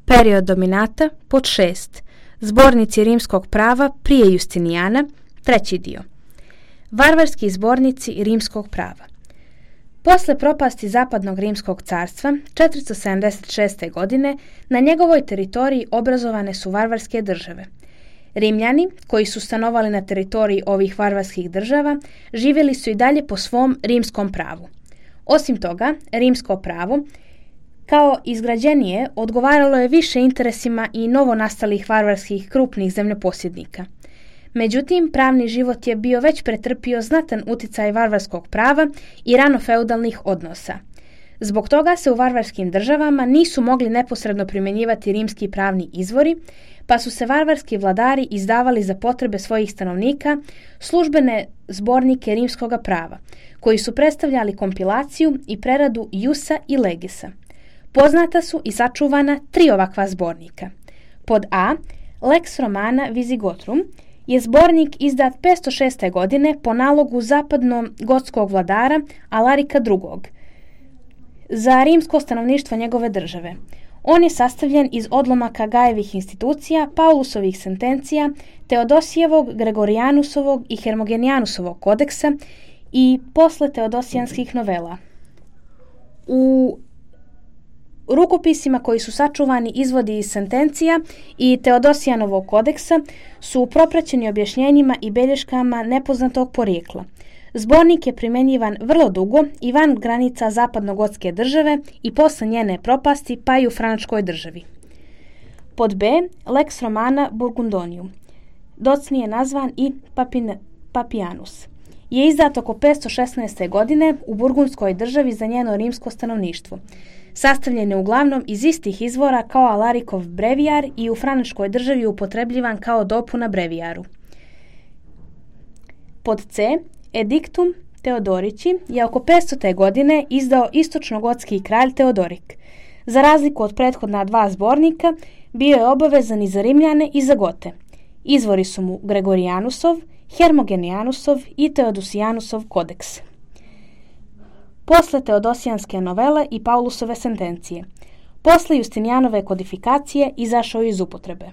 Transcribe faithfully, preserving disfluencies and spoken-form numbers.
Period dominata pod šest. Zbornici rimskog prava prije Justinijana, treći dio. Varvarski zbornici rimskog prava. Posle propasti Zapadnog rimskog carstva četiristo sedamdeset šeste. godine na njegovoj teritoriji obrazovane su varvarske države. Rimljani, koji su stanovali na teritoriji ovih varvarskih država, živjeli su i dalje po svom rimskom pravu. Osim toga, rimsko pravo, kao izgrađenije, odgovaralo je više interesima i novonastalih varvarskih krupnih zemljoposjednika. Međutim, pravni život je bio već pretrpio znatan uticaj varvarskog prava i ranofeudalnih odnosa. Zbog toga se u varvarskim državama nisu mogli neposredno primjenjivati rimski pravni izvori, pa su se varvarski vladari izdavali za potrebe svojih stanovnika službene zbornike rimskoga prava, koji su predstavljali kompilaciju i preradu Iusa i Legisa. Poznata su i sačuvana tri ovakva zbornika. Pod A, Lex Romana Visigotrum, je zbornik izdat petsto šeste. godine po nalogu zapadno-gotskog vladara Alarika drugog. za rimsko stanovništvo njegove države. On je sastavljen iz odlomaka Gajevih institucija, Paulusovih sentencija, Teodosijevog, Gregorijanusovog i Hermogenijanusovog kodeksa i posle Teodosijanskih novela. U rukopisima koji su sačuvani izvodi iz sentencija i Teodosijanovog kodeksa su propraćeni objašnjenjima i belješkama nepoznatog porijekla. Zbornik je primjenjivan vrlo dugo i van granica zapadno-gotske države i posle njene propasti pa i u Franačkoj državi. Pod B, Lex Romana Burgundonium, docnije nazvan i Papin, Papianus, je izdat oko petsto šesnaeste. godine u Burgundskoj državi za njeno rimsko stanovništvo. Sastavljen je uglavnom iz istih izvora kao Alarikov brevijar i u Franačkoj državi upotrebljivan kao dopuna brevijaru. Pod C, Edictum Teodorici je oko petstote. godine izdao istočno-gotski kralj Teodorik. Za razliku od prethodna dva zbornika, bio je obavezan i za Rimljane i za Gote. Izvori su mu Gregorijanusov, Hermogenijanusov i Teodosijanusov kodeks. Posle Teodosijanske novele i Paulusove sentencije. Posle Justinijanove kodifikacije izašao iz upotrebe.